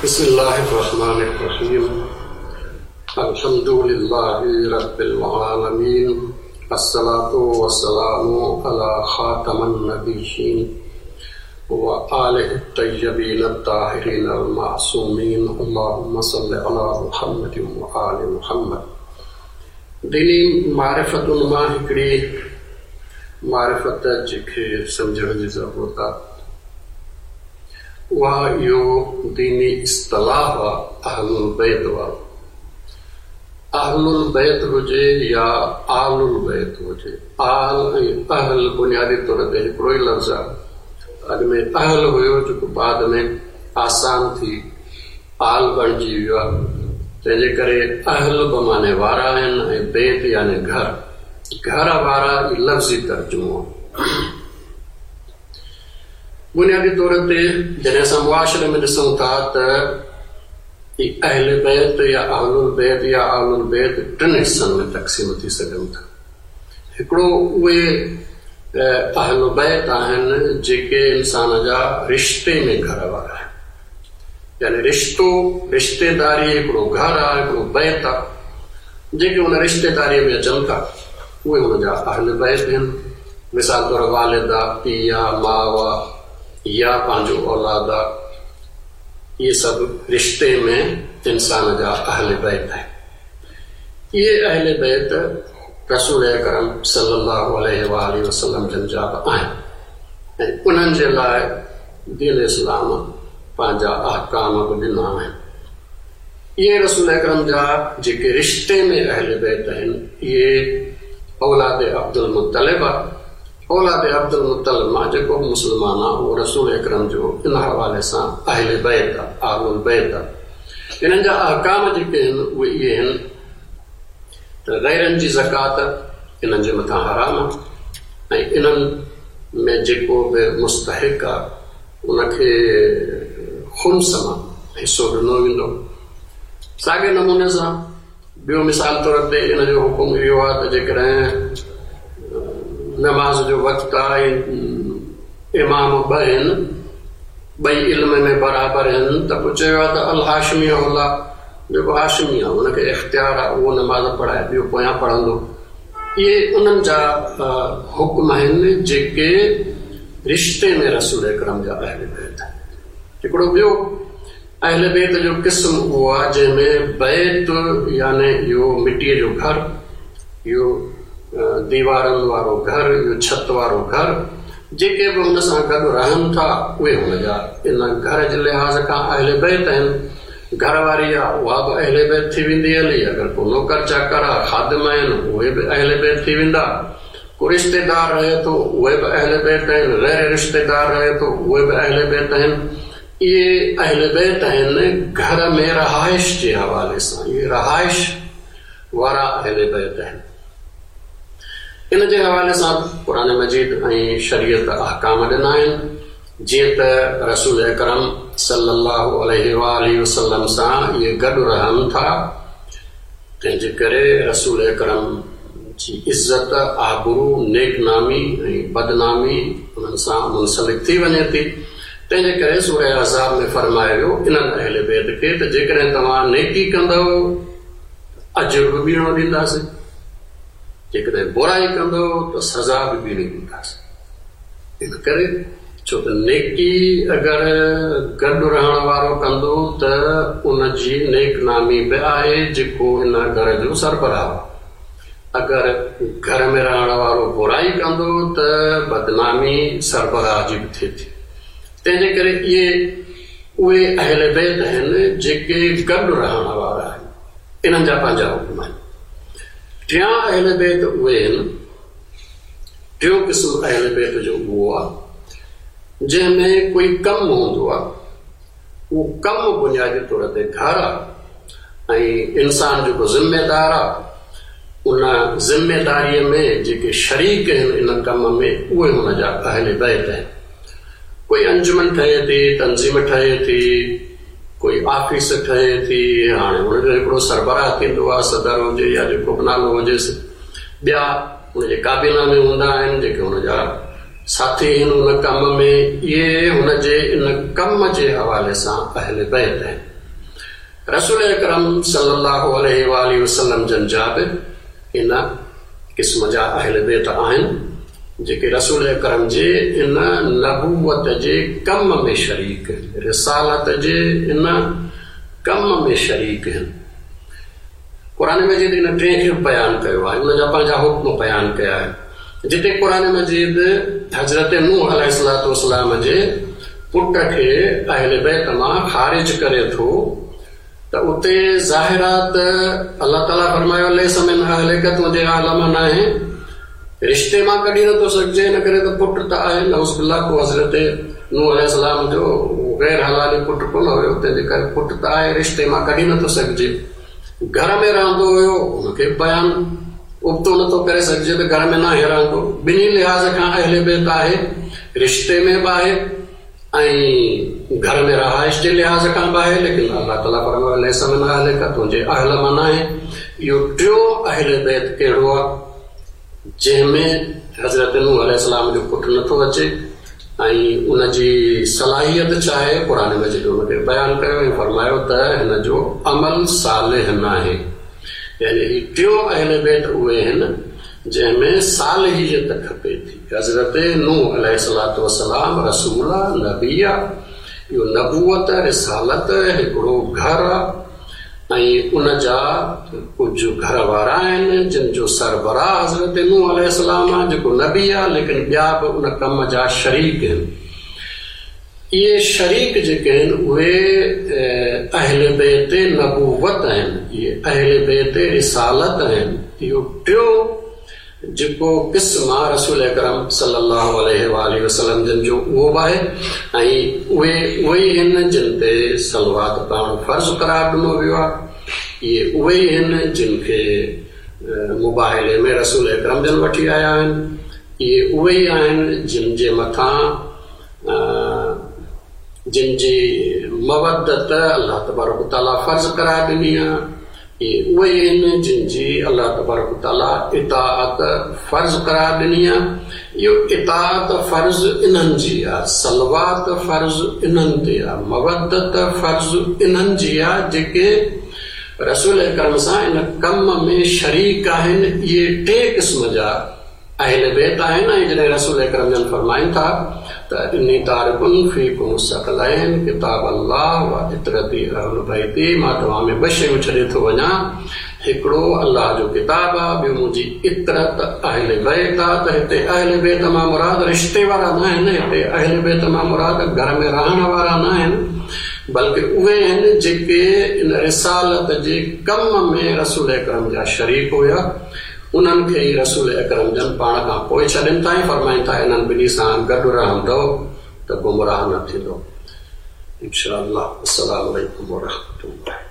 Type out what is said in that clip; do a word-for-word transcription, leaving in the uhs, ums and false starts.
बिस्मिल्लाहिर्रहमानिर्रहीम। अल्हम्दुलिल्लाहि रब्बिल आलमीन। अस्सलातु वस्सलामु अला खातमन नबिय्यीन व आलिहि तय्यबीन अत्ताहिरीन अल मासूमीन। अल्लाहुम्मा सल्लि अला मुहम्मद व आलि मुहम्मद। दीनी मारिफ़तुन मां हिकिड़ी मारिफ़त जेके सम्झण जी ज़रूरत आहे, उहा इहो दीनी इस्तलाह आहे अहलुल बैत वारो। अहलुल बैत हुजे या आलुल बैत हुजे, आल ऐं अहल बुनियादी तौर ते हिकिड़ो ई लफ़्ज़ आहे। अॻु में अहल हुयो जेको बाद में आसान थी आल बणिजी वियो आहे। तंहिंजे करे अहल बि माने वारा आहिनि ऐं बैत यानी घर, घर वारा लफ़्ज़ी तर्जुमो आहे। बुनियादी तौर ते जॾहिं असां मुआशरे में ॾिसूं था त अहल बैत या अहलुल बैत या आलुल बैत टिनि हिसनि में तक़सीम थी सघनि था। हिकिड़ो उहे अहल बैत आहिनि जेके इंसान जा रिश्ते में घर वारा आहिनि, यानी रिश्तो रिश्तेदारी हिकिड़ो घर आहे, हिकिड़ो बैत आहे। जेके हुन रिश्तेदारीअ में अचनि था उहे हुनजा अहल बैत आहिनि। मिसाल तौरु वालिद आहे, पीउ आहे, माउ आहे या पंहिंजो औलाद आहे, इहे सभु रिश्ते में इंसान जा अहल बैत आहिनि। इहे अहल बैत रसूल अकरम सल्लल्लाहु अलैहि वसल्लम जन जा बि आहिनि ऐं उन्हनि जे लाइ दीन इस्लाम पंहिंजा अहकाम बि ॾिना आहिनि। इहे रसूल अकरम जा जेके रिश्ते में अहल बैत आहिनि इहे औलाद अब्दुल मुत्तलिब आहे। औलाद अब्दुल मुत्तलिब मां जेको बि मुस्लमान आहे उहो रसूल अकरम जो इन हवाले सां अहल बैत आहे, आलुल बैत आहे। इन्हनि जा अहकाम जेके आहिनि उहे इहे आहिनि त ग़ैरनि जी ज़कात इन्हनि जे मथां हराम आहे ऐं इन्हनि में जेको बि मुस्तहिक़ आहे उनखे खुम्स मां हिसो ॾिनो वेंदो। साॻे नमूने सां ॿियो मिसाल तौर ते इन जो हुकुम इहो आहे त जेकॾहिं नमाज़ जो वक़्तु आहे, इमाम ॿ आहिनि, ॿई इल्म में बराबरि आहिनि, त पोइ चयो आहे त अल हाशमी औला, जेको हाशमी आहे हुनखे इख़्तियार आहे उहो नमाज़ पढ़ाए, ॿियो पोयां पढ़ंदो। इहे उन्हनि जा हुकुम आहिनि जेके रिश्ते में रसूल अकरम जा अहल बैत आहिनि। हिकिड़ो ॿियो अहल बैत जो क़िस्म उहो आहे जंहिंमें बैत यानी इहो मिटीअ जो घर, इहो दीवारनि वारो घर, इहो छत वारो घर, जेके बि हुन सां गॾु रहनि था उहे हुनजा इन घर जे लिहाज़ खां अहल बैत आहिनि। घर वारी आहे उहा बि अहल बैत थी वेंदी हली, अगरि को नौकर चाकर आहे, ख़ादिम आहिनि उहे बि अहल बैत थी वेंदा, को रिश्तेदार रहे थो उहे बि अहल बैत आहिनि, ग़ैर रिश्तेदार रहे थो उहे बि अहल बैत आहिनि। इहे अहल बैत आहिनि घर में रहाइश जे हवाले सां, इहे रहाइश वारा अहल बैत आहिनि। इन जे हवाले सां क़ुरान मजीद ऐं शरीयत अहकाम ॾिना आहिनि। जीअं त रसूल अकरम सल्लल्लाहु अलैहि वसल्लम सां इहे गॾु रहनि था, तंहिंजे करे रसूल अकरम जी इज़त, आबरू, नेकनामी ऐं बदनामी उन्हनि सां मुंसलिक थी वञे थी। तंहिंजे करे सूरह अहज़ाब में फरमायो वियो इन्हनि अहल बैत खे त जेकॾहिं तव्हां नेकी कंदव अजर बि ॿीणो ॾींदासीं, जेकॾहिं बुराई कंदव त सज़ा बि ॿीणी ॾींदासीं। इन करे छो त नेकी अगरि गॾु रहण वारो कंदो त उनजी नेकनामी बि आहे जेको इन घर जो सरबराह आहे। अगरि घर में रहण वारो बुराई कंदो त बदनामी सरबराह जी बि थिए थी। तंहिंजे करे इहे उहे अहल बैत आहिनि जेके गॾु रहण वारा आहिनि, इन्हनि जा पंहिंजा हुकुम आहिनि। टियां अहल बैत उहे आहिनि, टियों क़िस्म अहल बैत जो उहो आहे जंहिंमें कोई कमु हूंदो आहे, उहो कमु बुनियादी तौर ते घर आहे ऐं इंसान जेको ज़िम्मेदार आहे उन ज़िम्मेदारीअ में जेके शरीक आहिनि इन कम में उहे हुनजा अहल बैत आहिनि। कोई अंजुमन ठहे थी, तंज़ीम ठहे थी, कोई ऑफिस ठहे थी, हाणे हुनजो हिकिड़ो सरबराह थींदो आहे, सदर हुजे या जेको बि नालो हुजेसि, ॿिया हुनजे काबीना में हूंदा आहिनि जेके हुनजा ساٿي آهن ان ڪم ۾، اهي هن جي ان ڪم جي حوالي سان اهل بيت آهن. رسول اڪرم صلي الله عليه وآله وسلم جن جا به ان قسم جا اهل بيت آهن، جيڪي رسول اڪرم جي ان نبوت جي ڪم ۾ شريڪ آهن، رسالت جي ان ڪم ۾ شريڪ آهن. قرآن مجيد ان ٽئين کي به بيان ڪيو آهي، ان جا پنهنجا حڪم بيان ڪيا آهن. جتي قرآن مجيد حضرت نوح عليه الصلوة والسلام جي پٽ کي اهل بيت مان خارج ڪري ٿو ته اتي ظاهر آهي ته الله تعاليٰ فرمايو ليس من اهلڪ، تنهنجي اهل مان ناهي، رشتي مان ڪڍي نٿو سگهجي، ان ڪري ته پٽ ته آهي. نعوذ بالله ڪو حضرت نوح عليه السلام جو غير حلالي پٽ ڪونه هيو، تنهنجي ڪري پٽ ته آهي، رشتي مان ڪڍي نٿو سگهجي. گهر ۾ رهندو هيو، ان کي بيان ابتو نٿو ڪري سگهجي ته گهر ۾ ناهي رهندو. ٻنهي لحاظ کان اهل بيت آهي، رشتي ۾ به آهي ۽ گهر ۾ رهائش جي لحاظ کان به آهي، ليڪن الله تعاليٰ فرمايو ليس من اهلڪ، تنهنجي اهل مان ناهي. اهو ٽيون اهل بيت ڪهڙو آهي جنهن ۾ حضرت نوح عليه السلام جو پٽ نٿو اچي ۽ ان جي صلاحيت ڇا آهي؟ قرآن مجيد ان کي بيان ڪيو ۽ فرمايو ته هن جو عمل صالح ناهي. يعني هي ٽيون اهل بيت اهي آهن جنهن ۾ صالحيت کپي ٿي. حضرت نوح عليه الصلوة والسلام رسول آ، نبي آ، اهو نبوت رسالت هڪڙو گهر آ ۽ ان جا ڪجهه گهر وارا آهن جن جو سربراهه حضرت نوح عليه السلام آ، جيڪو نبي آ، ليڪن ٻيا به ان ڪم جا شريڪ آهن. اهي شريڪ جيڪي آهن اهي اهل بيت نبوت آهن، اهي اهل بيت رسالت آهن. اهو ٽيون جيڪو قسم آ رسول اڪرم صلي الله عليه وآله وسلم جن جو اهو به آهي ۽ اهي اهي ئي آهن جن تي صلوات پڙهڻ فرض قرار ڏنو ويو آهي. اهي اهي ئي آهن جن کي مباهلي ۾ رسول اڪرم جن وٺي آيا آهن. اهي اهي ئي آهن جن جي مٿان جن جي مودت الله تبارڪ وتعاليٰ فرض قرار ڏني آهي. اهي اهي آهن جن جي الله تبارڪ وتعاليٰ اطاعت فرض قرار ڏني آهي. اهو اطاعت فرض انهن جي آهي، صلوات فرض انهن تي آهي، مودت فرض انهن جي آهي جيڪي رسول اڪرم سان ان ڪم ۾ شريڪ آهن. اهي ٽي قسم جا اهل بيت آهن. ۽ جڏهن رسول اڪرم جن فرمائن ٿا ته اني تارڪ فيڪم الثقلين ڪتاب الله و عترتي اهل بيتي، مان توهان ۾ ٻه شيون ڇڏي ٿو وڃان، هڪڙو الله جو ڪتاب آهي، ٻيو منهنجي عترت اهل بيت آهي. ته هتي اهل بيت مان مراد رشتي وارا نه آهن، هتي اهل بيت مان مراد گهر ۾ رهڻ وارا نه آهن، بلڪه اهي آهن جيڪي ان رسالت جي ڪم ۾ رسول اڪرم جا شريڪ هيا. انهن کي ئي رسول اڪرم جن پاڻ کان پوءِ ڇڏين ٿا ۽ فرمائن ٿا انهن ٻنهي سان گڏ رهندؤ ته گمراهه نه ٿيندو. انشاء الله. السلام عليڪم ورحمة الله.